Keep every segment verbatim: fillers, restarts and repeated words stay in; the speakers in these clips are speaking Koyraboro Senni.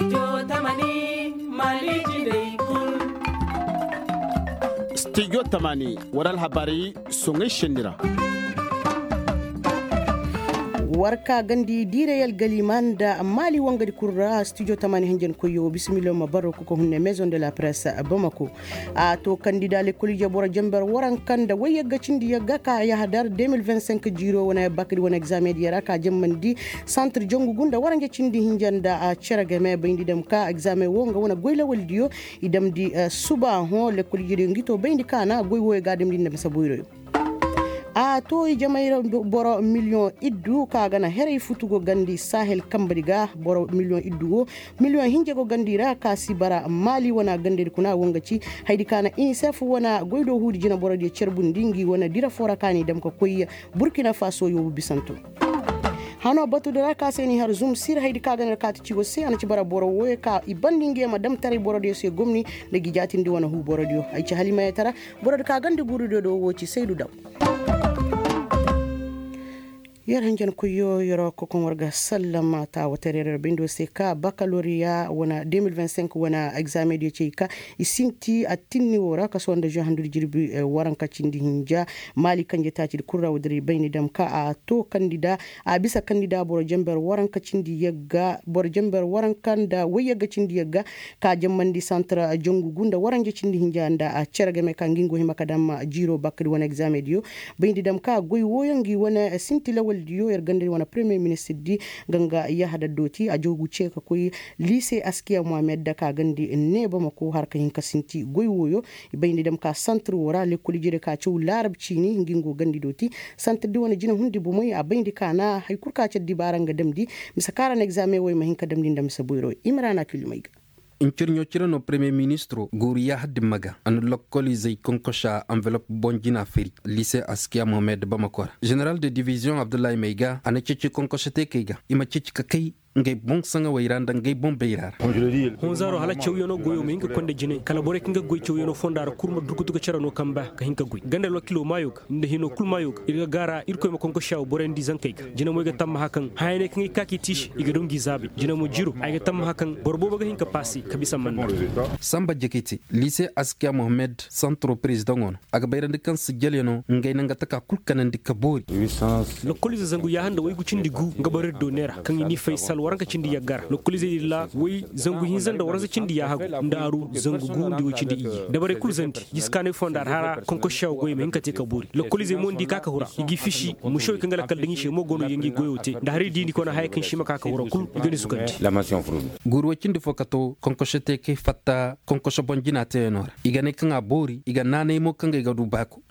Studio tamani, war alhabaari soŋay senni ra. War ka gandi diiray algalima nda maali wangadi kul ra studio tamani hanjankoyyo bisimillo ma barro kuka hunne maison de la presse bamako. A to kandida lekkol ije boro jamber waranka nda wayyagga cindi yagga ka yahadar deux mille vingt-cinq jiiro wane bakadi wane examen diya ra ka jammandi santir jangu gunda waranja cindi hinja nda a cere game bayndi dam ka examen wo nga wane goy lawaldiyo. I damndi suba hõ lekkol ije diyo ngi to bayndi ka na goy wooyo ga damndi nda mise boyroyo. A to ijamay ra boro miliyoŋ iddu ka ga na heray futu go gandi sahel kambadi ga boro miliyoŋ iddu wo miliyoŋ hinja go gandi ra ka si bara maali wana gandadi kuna wo nga ci haydi ka na inisef wana goy do huudi jina borodiyo carbundi ngi wana dira foo ra ka n'i dam ka koy burkina faso yoobu bisanto. Hano batudi ra ka se n'i har zum sir haydi ka ga na ra kaati ciwo se a na ci bara boro wooyo ka i bandi ngi ma dam taray borodiyo se gomni nda gi jaatindi wana huu borodiyo ay ci halimayetara. Borodi ka gandi guurudiyo do wo ci saydu daw. Yer hanjankoyyo yer kokoŋ war ga sallama taawatarey ra bayndi wo se ka bakaloriya wana deux mille vingt-cinq wana examen diyo cey ka i sinti attinni wo ra kaso nda juin handudi jirbi waranka cindi hinja. Maali kanje taacidi kul ra wo dira i bayndi dam ka a to kandida a bisa kandida boro jamber waranka cindi yagga boro jamber waranka nda wayyagga cindi yagga ka jammandi santra jangu gu nda waranja cindi hinja nda a cere game ka ngi ngo hima ka dam jiiro bakkadi wane examen diyo. Bayndi dam ka goy wooyo ngi wane sinti lawaldiyo yer gandadi wane premier ministirdi. Nga nga yahada dooti a joogu ce ka koy liise askiya mohamed da ka gandi ne bamako har ka hin ka sinti goy wooyo. I bayndi dam ka santir woo ra lekkol ijediyo ka caw laarab ciini ngi ngo gandi dooti. Santirdi wane jina hundi bomey a bayndi ka na hari kul ka ci addibaara nga damndi mise ka ra na egzaameŋ wey ma hin ka damndi nda mise boyro i ma ra na a kilumey ga. Ncirɲo cire no premier ministro guuru yaaha dimma ga a na lokkolizey konkosa anvelop boŋ jina feri lise askiya mohamed bamako ra. Ženeral de diviziyoŋ abdullahi may ga a na ceeci konkosa teekey ga i ma ceeci ka kay ngey boŋ saŋawey ra nda ngey boŋ bayra ra. Honzaaro hala cawyanoo goyoo ma hin ka konda jinay kala borey kaŋ ga goy cawyanoo fonda ra kul ma durkutu ga cere no kamba ka hin ka goy ganda alwakiloo maayoo ga nda hinoo kul maayoo ga ir ga gaara irkoy ma konkosa wo borey nda i zankey ga. Jina mo ay ga tammaha kaŋ hayaney kaŋ ay ga ka k'i tiisi i ga daw ngi zaabey jina mo jiro ay ga tammaha kaŋ boro boobo ga hin ka paasi ka bisa manda. Samba jekiti lise askiya mohamed santro prezidaŋo no a ga bayrandi kaŋ sijjalyanoo ngey na nga taka kul kanandi ka boori. Lokkoliize zangu yaaha nda waygu cindi gu nga boro ir do neera kaŋ i n'i fay sal waranka cindi yagga ra lokkoliizey din ra way zangu hinza nda waransa cindi yaaha gu nda aru zangu gu nda way cindi iyye dabarey kul zandi jiskaanay fonda ra hara konkosa wo goy ma hin ka te ka boori lokkoliizey mo nda i ka ka hura i g'i fisi. Musawey kaŋ ga lakkal daŋ i se mo go no i ga ngi goyo te nda hari di ni kona haya kaŋ si ma ka ka hura kul i ga ni sukandi. Guuru way cindi fo ka to konkoso te kay fatta konkoso boŋ jina teyanoo ra i ga ne kaŋ a boori i ga naanay mo kaŋ ga ay ga du baako.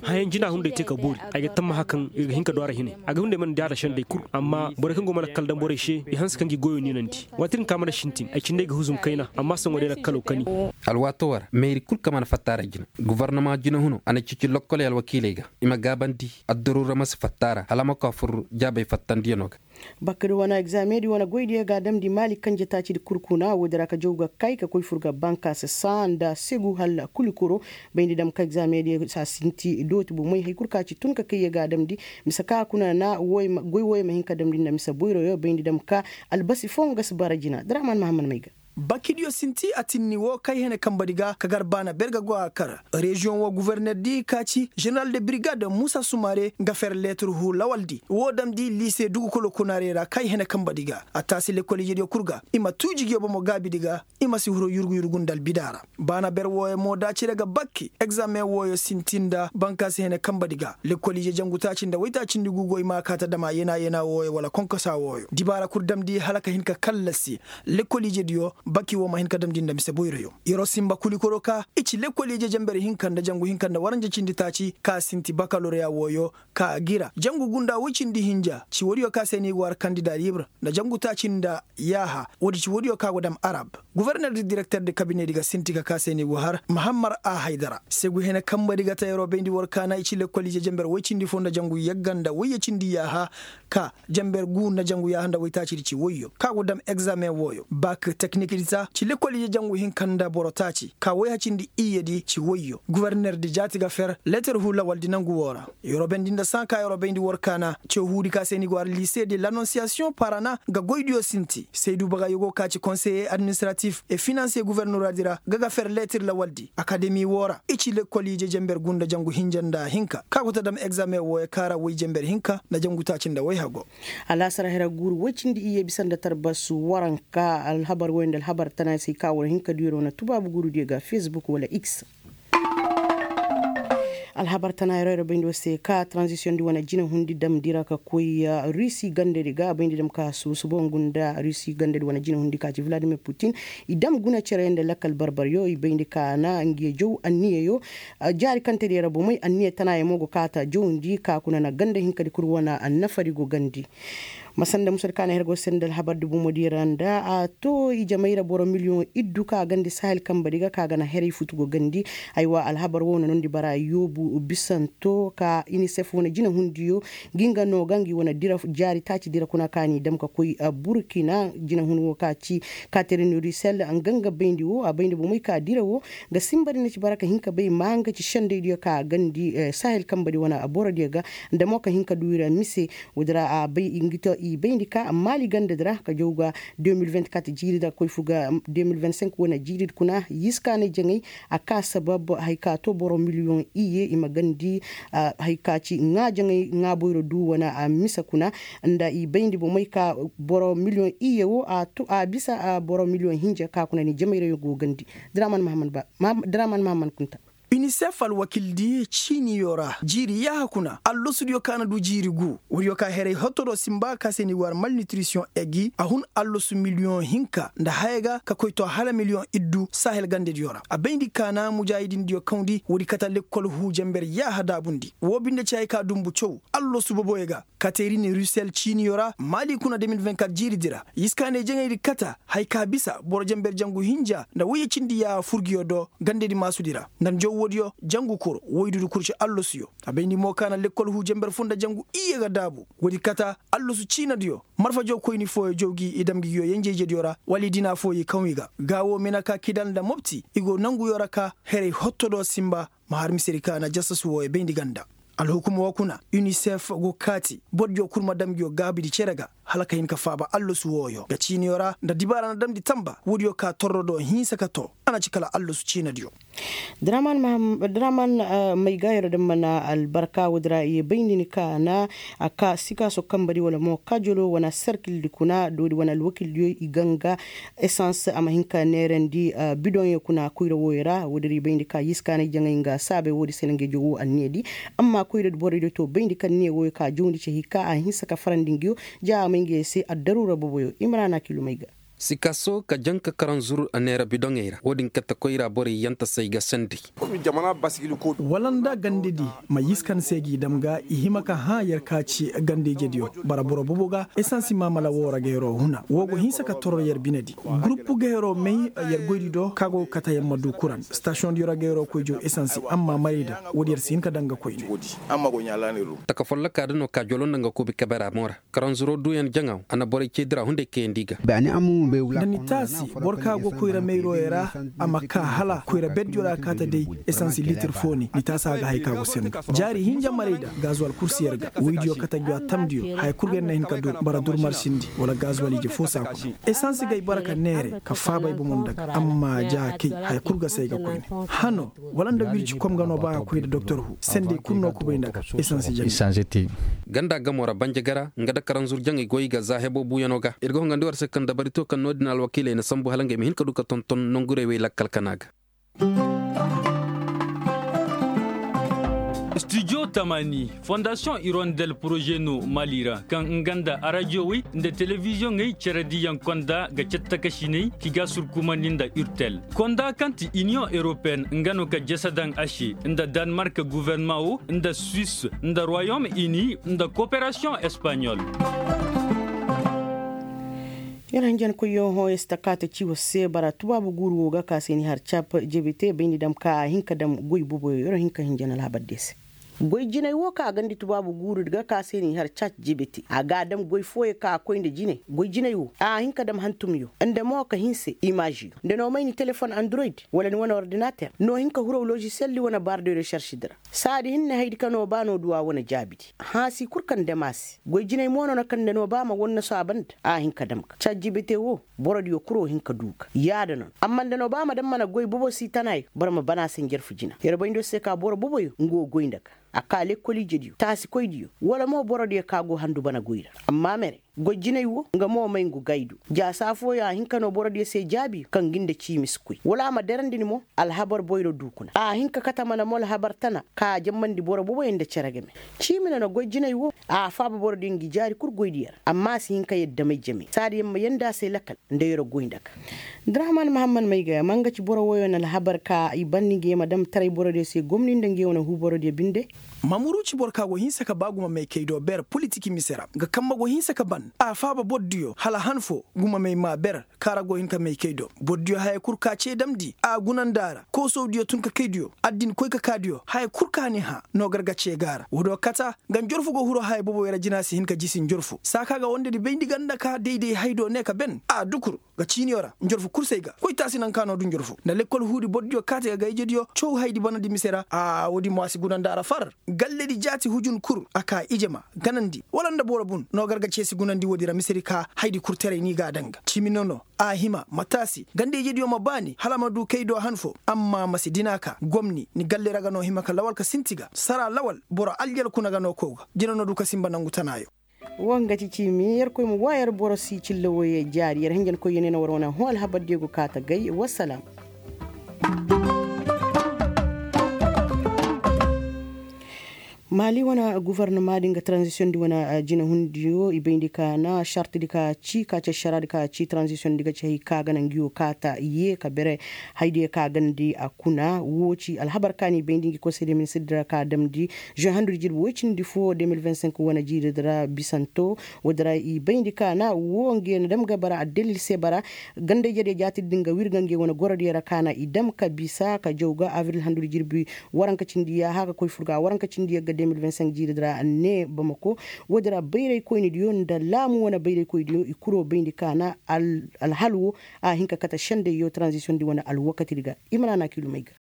Hayaŋ jina hunday te ka boori ay ga tammaha kaŋ ir ga hin ka du a ra hinay a ga hunday mana di a ra sendey kul amma borey kaŋ go mana kala daŋ borey se i hanse kaŋ gi goyo niinandi. Waati din ka mana sintin ay cindey ga huzum kayna amma saŋo day lakkaloo kani. Alwaatoo ra meeri kul ka mana fatta a ra jina gofornama jina huno a na ceeci lokkoley alwakiiley ga i ma gaabandi addaruura ma si fatta a ra hala a ma koy a fur jaabey fattandiyanoo ga. Bakadi wane egzaameŋ di wane goydiyo ga a damndi maali kanje taacidi kul kuna woodi ra ka jaw ga kay ka koy fur ga bankaasa saa nda segu hala kulikoro. Bayndi dam ka egzaameŋ di saa sinti dooti bomey hari kul ka ci tun ka kay ye ga a damndi mise ka kuna na goy wooyo ma hin ka damndi nda mise boyroyo bayndi dam ka albasi foo nga si bara jina draman mahammad may ga. Bakidiyo sinti atinni woo kay hene kambadi ga ka gar baana berga go a kar. Reziyoŋ woo guverner di ka ci ženeral de birigad muusa sumare nga fer leetir huu lawaldi woo damndi liise dugukoloo kunaarey ra kay hene kambadi ga a taasi lekkol ijediyo kul ga i ma tuu jigiyo bomo gaabidi ga. I ma si huru yurgu yurgu nda albida ra baana ber wooyo mo da cire ga bakki egzaameŋ wooyo sinti nda bankaasi hene kambadi ga lekkol ije jangu taaci nda woytaacindi guugo i ma a kaa ta dama yena yena wooyo wala konkosa wooyo dibaara kul damndi hala ka hin ka kallasi. Lekkol ijediyo baki woo ma hin ka damndi nda mise boyroyo. Yer'o sinba kulikoro ka i ci lekkol ije jenber hinka nda jangu hinka nda waranja cindi taaci ka sinti bakaloriya wooyo ka a gira jangu gunda woy cindi hinja ci woodiyo ka se no i go har kandida libre nda jangu taaci nda yaaha woodi ci woodiyo ka go dam arab. Guverner di direkter di kabinedi ga sinti ka ka se no i go har mahammar a haydara segu hene kambadi ga ta yer'o bayndi war kaana i ci lekkol ije jenber woy cindi foo nda jangu yagga nda woyye cindi yaaha ka jenber guu nda jangu yaaha nda woytaacidi ci woyyo ka go dam egzaameŋ wooyo bak teknik. Ci lekkol ije jangu hinka nda boro taaci ka woy hacindi iyyedi ci woyyo guwerner di jaati ga fer leetar hu lawaldi nangu woo ra. Yeroo bayndi nda sãa ka yeroo bayndi war kaana ce huudi ka se ni go har lise de lanonsiyasiyoŋ parana ga goydiyo sinti saydu bagayyo go ka ci konseye administratif e finanse guwernoraadi ra ga ga fer leetar lawaldi akademi woo ra i ci lekkol ije jenber gunda jangu hinja nda hinka ka go ta dam egzame wooyo ka ra woy jenber hinka nda jangu taaci nda woy hago. Alaasar hera guuru woy cindi iyye bisa nda tarbas waranka alhabar woy nda alhabar tana se ka war hin ka duyar wane tubaabu guuru diyo ga fesbuk wala x. Alhabar tana yeroo yeroo bayndi wo se ka tranzisiyoŋ di wane jinahundi damndi ra ka koy rusi gandadi ga a bayndi dam ka subu subu ngu nda rusi gandadi wane jinahundi ka ci vladimir putin. I dam guna cere nda lakkal barbaryo i bayndi ka na ngiyo jaw anniyayo. Jaari kaŋ te di ra bomey anniya tanayaŋ mo go kaata jawndi ka kuna na ganda hinkadi kul wane annafari go gandi. Masanda musadi ka na her go sendal habardi bomodi ra nda a to ijamey ra boro miliyoŋ iddu ka gandi sahel kambadi ga ka ga na herey futu go gandi. Aywa alhabar wo na nondi bara yoobu bisanto ka inisef wane jinahundiyo ngi nga no ga ngi wane dira jaari taaci dira kuna ka ni dam ka koy burkina jinahun wo ka ci katerin rusel nga nga bayndi wo a bayndi bomey ka dira wo. Ga simba di na ci bara ka hin ka bay maa nga ci sendaydiyo ka gandi sahel kamba di wane a borodiyo ga. Nda mo ka hin ka du i ra mise. Woodi ra a bay i bayndi ka maali ganda di ra ka jaw ga deux mille vingt-quatre jiiri di ra koy fu ga deux mille vingt-cinq wane jiiri di kuna yiskaanay jaŋay. A ka sabab haya ka to boro miliyoŋ iyye i ma gandi haya ka ci ŋaa jaŋay ŋaa boyro du wane a mise kuna. Nda i bayndi bomey ka boro miliyoŋ iyye wo a bisa boro miliyoŋ hinja ka kuna ni jamayra yaŋ go gandi. Draman mahaman kunta. Unicef alwakildi ciiniyo ra jiiri yaaha kuna allosudiyo ka na du jiiri gu woodiyo ka heray hotto do simba ka se ni war malnitrisiyoŋ egi a hun allosu miliyoŋ hinka nda haya ga ka koy to hala miliyoŋ iddu sahel gandediyo ra a bayndi ka na mujaahidindiyo kawndi woodi kata lekkol huu jenber yaaha daabundi woo binde ci hay ka dumbu caw. Allosu boboyo ga kateerini rusel ciiniyo ra maali kuna deux mille vingt-quatre jiiridi ra yiskaanay jaŋaydi kata hay ka bisa boro jenber jangu hinja nda woyye cindi yaaha furgiyo do gandedi maasudi ra nda njow woodiyo jangu kur woydudu kur ci allosuyo. A bayndi mo ka na lekkol huu jenber foo nda jangu iyye ga daabu woodi kata allosu ciinadiyo marfa jawkoyni fooyo jaw gi i dam gi ngiyo yenje-ijediyo ra wala i dina fooyo i kaw i ga gaa woo mina ka kidal nda mopti i go nanguyo ra ka heray hotto do simba. Ma har misedi ka na jasasu wooyo bayndi ganda alhukuma woo kuna unicef go kaati bordiyo kul ma dam ngiyo gaabidi cere ga hala ka hin ka faaba allosu wooyo ga ciiniyo ra nda dibaara na damndi tamba woodiyo ka torro do hinsa ka too a na ci kala allosu ciinadiyo. Draman may ga yeroo da mana albarka woodi ra i ye bay ni ni ka na a ka sikaaso kambadi wala mo kajolo wane serkildi kuna doodi wane alwakildiyo i ganga esans a ma hin ka neerandi bidoŋyo kuna koyra wooyo ra woodi ra i bay ni ka yiskaanay jaŋay nga saabay woodi se na nga i jaw woo anniyadi. Amma koyra borodiyo to bay ni ka anniya wooyo ka jawndi ci hay ka a hinsa ka farandi ngiyo ja a may nga ye se addaruura boboyo imrana kilumay ga. Sikaso ka janka karanzur neera bidoŋey ra wo-din kate koyra borey yantasey ga sendey. Wala nda gandedi ma yiskan se g'i dam ga i hima ka hã yer ka ci gandejediyo bara boro bobo ga esansi maamala woo ra ga yeroo huna woo go hinsa ka torro yer binedi. Guruppu ga yeroo may yer goydi do ka go ga kate yer ma du kuran stasiyoŋdiyo ra ga yeroo koy jaw esansi amma marayda woodi yer si hin ka daŋ ga koyne. Taka follokaa da no ka jolo nda nga kuubi kebera mo ra. Karanzuro duuyaŋ jaŋaw a na borey cee dira hunday kayandi ga. Da ni taasi boro ka go koyra mayroyey ra a ma kaa hala koyra berdiyo ra kaate day. Esansi litir foo ni ni taasa ga haya ka go senda jaari hinja marayda gazuwal kul si yer ga woydiyo kate ngi a tamdiyo haya kul ga yer na hin ka dur bara dur marsindi wala gazuwal ije foo si a kuna. Esansi ga ay bara ka neere ka faaba ay bomo nda ga amma ja kay haya kul ga si ay ga koyne. Hano wala nda wirci kom ga no ba a koy nda doktor hu sendey kul no kubay nda ga. Esansi janga. Ganda gamo ra banjagara nga da karanzur jaŋay goy ga za hebo buuyano ga ir ga hongandi war se kaŋ dabari to kaŋ no-din alwakiiley na sambu hala ngey ma hin ka du ka tonton nongurey wey lakkal kana ga. Studio tamani fondasiyoŋ irondel poroze no mali ra kaŋ nga nda arajiyowey nda telebiziyoŋey cere diyaŋ konda ga cattakasiney ki ga surkumandi nda urtel konda kaŋ ti iniyoŋ europeen nga no ka jese daŋ a se nda danmark guvernement wo nda suisse nda royaume uni nda koperasiyoŋ espaɲol. Yer hinjankoyyo hõ yer si ta kaate ci war se bara tubaabu guuru wo ga ka se ni har cap jebete bayndi dam ka a hin ka dam goy boboyo yer hin ka hinjan alhabar de se. Goy jinay wo ka a gandi tubaabu guurudi ga ka se n'i har chat jibiti a ga a dam goy fooyaŋ ka a koy nda jinay goy jinay wo a hin ka dam hantumyo nda mo ka hinse imaaziyo nda no may ni telefon android wala ni wane ordinater no hin ka huraw lozisiyaldi wane baar de resaršidi ra. Saadi hinne haydi ka no ba no duwa wane jaabidi. Hansi kul kaŋ dam a se goy jinay mo no na kaŋ nda no ba ma wannaso a banda a hin ka dam ga chat jibiti wo. Borodiyo kuro hin ka du ga yaada no amma nda no ba ma dam mana goy bobo si tanayo boro ma bana se njarfu jina yer bayndo se ka boro boboyo nga wo goy nda ga a ka lekkol ijediyo taasikoydiyo wala mo borodiyo ka go handu bana goy ra. Amma mere goy jinay wo nga mo may ngu gaydu jaasa fooyo a hin ka no borodiyo se jaabiyo kaŋ gi nda ciimi si koy wala a ma derandi ni mo. Alhabar boyro du kuna a hin ka kate mana mo alhabar tana ka a jammandi boro boboyo nda cere game. Ciimi no na goy jinay wo a faaba borodiyo ngi jaari kul goydiyo ra amma a si hin ka yadda may jame saadi yer ma yanda a se lakal nda yer goy nda ga. Drahman mahammad mayga ma nga ci boro woyo na alhabar ka i ban ni nge ma dam taray borodiyo se gomni nda nge wane huu borodiyo binde. Ma muru ci boro ka go hinsa ka ba guma maykey do ber politik mise ra nga kambe go hinsa ka ban a faaba borodiyo hala han fo guma may ma ber. Kaara go hin ka maykey do borodiyo haya kul ka ce damndi a gunandi a ra koosowdiyo tunkakaydiyo addinkoy ka kaadiyo haya kul ka ni hã no gar ga ce ga a ra woodiyo kata. Nga njorfu go huru haya boboyo ra jina si hin ka jisi njorfu saa ka ga wondedi bayndi ganda ka dayday haydo ne ka ben a dukur. Ga ciiniyo ra njorfu kul se ay ga koytaasi naŋ ka no du njorfu nda lekkol huudi borodiyo kaati ga gayjediyo caw haydi banandi mise ra a woodi mo a si gunandi a ra far. Galledi jaati hujun kul a ka ije ma ganandi wala nda boro bun no gar ga ce si gunandi woodi ra misedi ka haydi kul teray ni ga a daŋ ga ciimi no no. A hima ma taasi ganda ijediyo ma baani hala ma du kay do han fo. Amma ma si dina ka gomni ni galle ra ga no hima ka lawal ka sinti ga sara lawal boro aljal kuna ga no kow ga jina no du ka sinba nangu tanaayo. Wo nga ti ciimi yerkoy ma wa yer boro si cilla woyey jaari yer hinjankoyyo ne na war wane hõ alhabardiyo go kaa ta gay wassalam. Maali wane gufornama di nga tranzisiyoŋ di wane jinahundiyo i bayndi ka na sartidi ka ci ka ci ašaraadi ka ci tranzisiyoŋ di ga ci hay ka ga na ngi wo kaa ta ye ka bere. Haydiyo ka gandi a kuna wo ci alhabar ka no i bayndi ngi konsey de ministirdi ra ka damndi žuwe handudi jirbi woy cindi fo de mil vingt cinq wane jiiridi ra bisanto. Woodi ra i bayndi ka na wo nge na dam ga bara addalil se bara. Ganda-ijediyo jaatidi din ga wirga nge wane gorodiyo ra ka na i dam ka bisa ka jaw ga abril handudi jirbi waranka cindi yaaha ga koy fur ga waranka cindi yagga de mil vingt cinq jiiridi ra ne bamako. Woodi ra bayraykoynidiyo nda laamu wane bayraykoydiyo i kuro bayndi ka na alhal wo a hin ka kate sendayyo tranzisiyoŋ di wane alwakatidi ga. I ma naana kiilumey ga.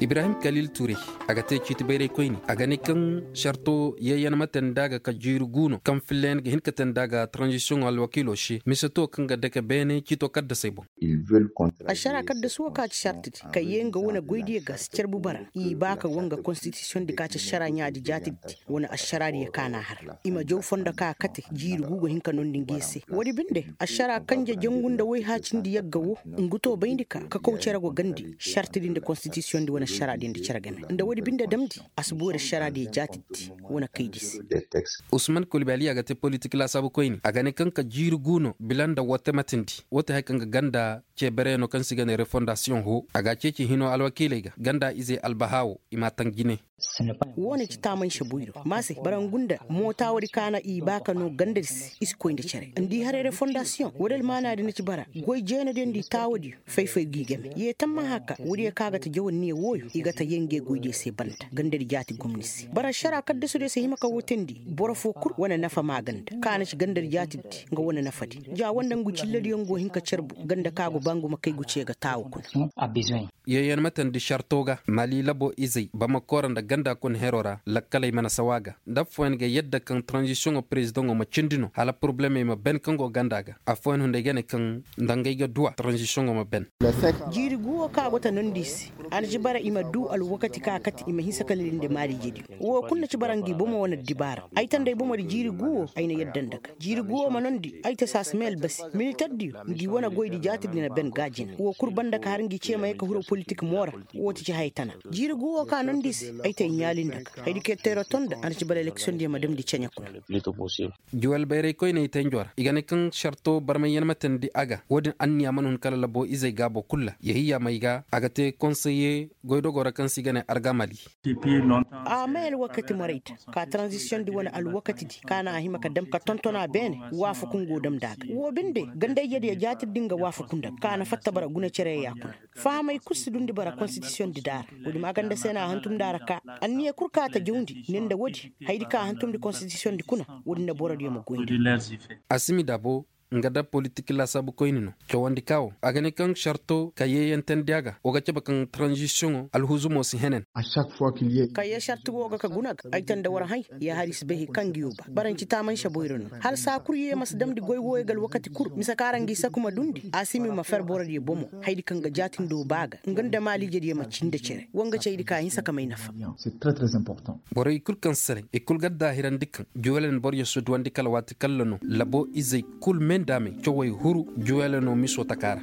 Ibrahim kalil ture a ga te ciiti bayraykoyni a ga ne kaŋ sarto yayyan ma te nda ga ka jiiri guuno kaŋ filla yaŋ ga hin ka te nda ga tranzisiyoŋo alwakiilo se mise to kaŋ ga dake beene ciito kaddasey boŋ. Ašara kaddasu wo ka ci sartidi ka ye nga wane goydiyo ga si carbu bara i ba ka wanga konstitisiyoŋ di ka ci ašara ɲaadi jaatidi. Wane ašaraadiyo ka n'a har i ma jaw fondo ka kate jiiri gu ga hin ka nondi ngi se woodi binde ašara kanje jangu nda wayhaacindi yagga wo. Ngu to bayndi ka ka kaw cere go gandi sartidi nda konstitisiyoŋ di wane ašaraadiyo nda cere game nda woodi binde damndi a si boori ašaraadiyo jaatidi wane kaydi se. Usman kulbali a ga te politik laasaabukoyni a ga ne kaŋ ka jiiri gu no bila nda woo te matindi woo te haya kaŋ ga ganda ceebereyaŋo kaŋ se i ga ne refondasiyoŋ hoo a ga a ceeci hinoo alwakiiley ga ganda ize albahaa woo i m'a taŋ jine. Woone ci taamanse boyro ma se bara ngu nda mootaawodi kaana i ba ka noo gandadi se i si koy nda cere nda i haray refondasiyoŋ woodi almaanaadi na ci bara goy jeenadiyo nda i taawadiyo fay-fay g'i game yee tammaha ka woodiyo kaŋ a ga ta jawanniyo wooyo i ga ta yee ngey goydiyo se banda gandadi jaati gomni se bara ašaraa kaddasudiyo si hima ka woo teendi boro foo kul wane nafa maaganda kaŋ a na ci gandadi jaatidi nga wane nafadi ja woo nda ngu cilladiyo ngu hin ka carbu ganda kaŋ a go ba ngu ma kay ngu cee ga taawu kuna. Yee yaŋ ma teendi sarto ga mali labo izey bamako ra nda ganda kuna heroo ra lakkaley mana sawa ga nda affooyaŋ ga yadda kaŋ taranzisiyoŋo perezidaŋo ma cindi no hala porobulemey ma ben kaŋ go ganda ga affooyaŋ hunday ga ne kaŋ nda ngey ga duw'a taranzisiyoŋo ma ben. Jiiri guwo kaŋ a go ta nondi i se a na ci bara i ma duu alwakati kaŋ a kate i ma hinsa ka lili nda maaliijediyo woo kul na ci bara ngi bomo wane addibaara ay ta nda ay bomodi jiiri guwo ay na yadda nda ga jiiri guwo ma nondi ay ta saasame albasi militerdiyo ngi wane goydi jaatidi na ben ga jina woo kul banda ka har ngi cee ma ye ka hiro politik moo ra. Woo ti ci haya tana jiiri guwo kaŋ a nondi i se ay. Ɲaali nda ga haydi ka yer teero ton nda a na ci bala eleksiyoŋ diyaŋ ma damndi ceɲe kuna. Juwel bayray koyney tenjo ra i ga ne kaŋ sarto barmay yaŋ ma teendi a ga wo-din anniya mana hun kala labo izey gaabo kul ra yahiyya may ga a ga te konseye goydogoo ra kaŋ se i ga ne argamali. A may alwakati morayta ka taranzisiyoŋ di wane alwakati di ka na a hima ka dam ka tonton a beene. Waafaku nga wo dam nda a ga wo binde ganda ijediyo jaati di nga waafaku nda ga ka na fatta bara guna cere ya kuna. Fahamay kul si dundi bara konstitisiyoŋ di daara. Wo-din maaganda se no a hantum daara ka anniya kul ka ta jawndi ne nda wo-din haydi ka a hantumndi konstitisiyoŋ di kuna. Wo-din na borodiyo ma goyndi. Asimi daabo nga da politik laasaabu koyni no cawandi ka wo a ga ne kaŋ sarto ka yeeyantendi a ga wo ga cabe kaŋ taranzisiyoŋo alhuzumo si henen. Ka yee sarti wo ga ka guna ga ay tanda war hay. Ya hari si bay hay kaŋ ga yoo ba bara nci taamanse boyra no hala saa kul yee ma si damndi goy wooyo ga alwakati kul mise kaŋ ra ngi saku ma dundi a si mi ma fer borodiyo bomo. Haydi kaŋ ga jaatindoo ba ga nga nda maaliijediyo ma cii nda cere wa nga ci haydi ka hinsa ka may nafa. Borey kul kaŋ sere i kul ga addaahirandi kaŋ juwelen boroyo si duwandi kala waati kalla no labo izey kul me nda a me cawey huru juweleno miso taka ra.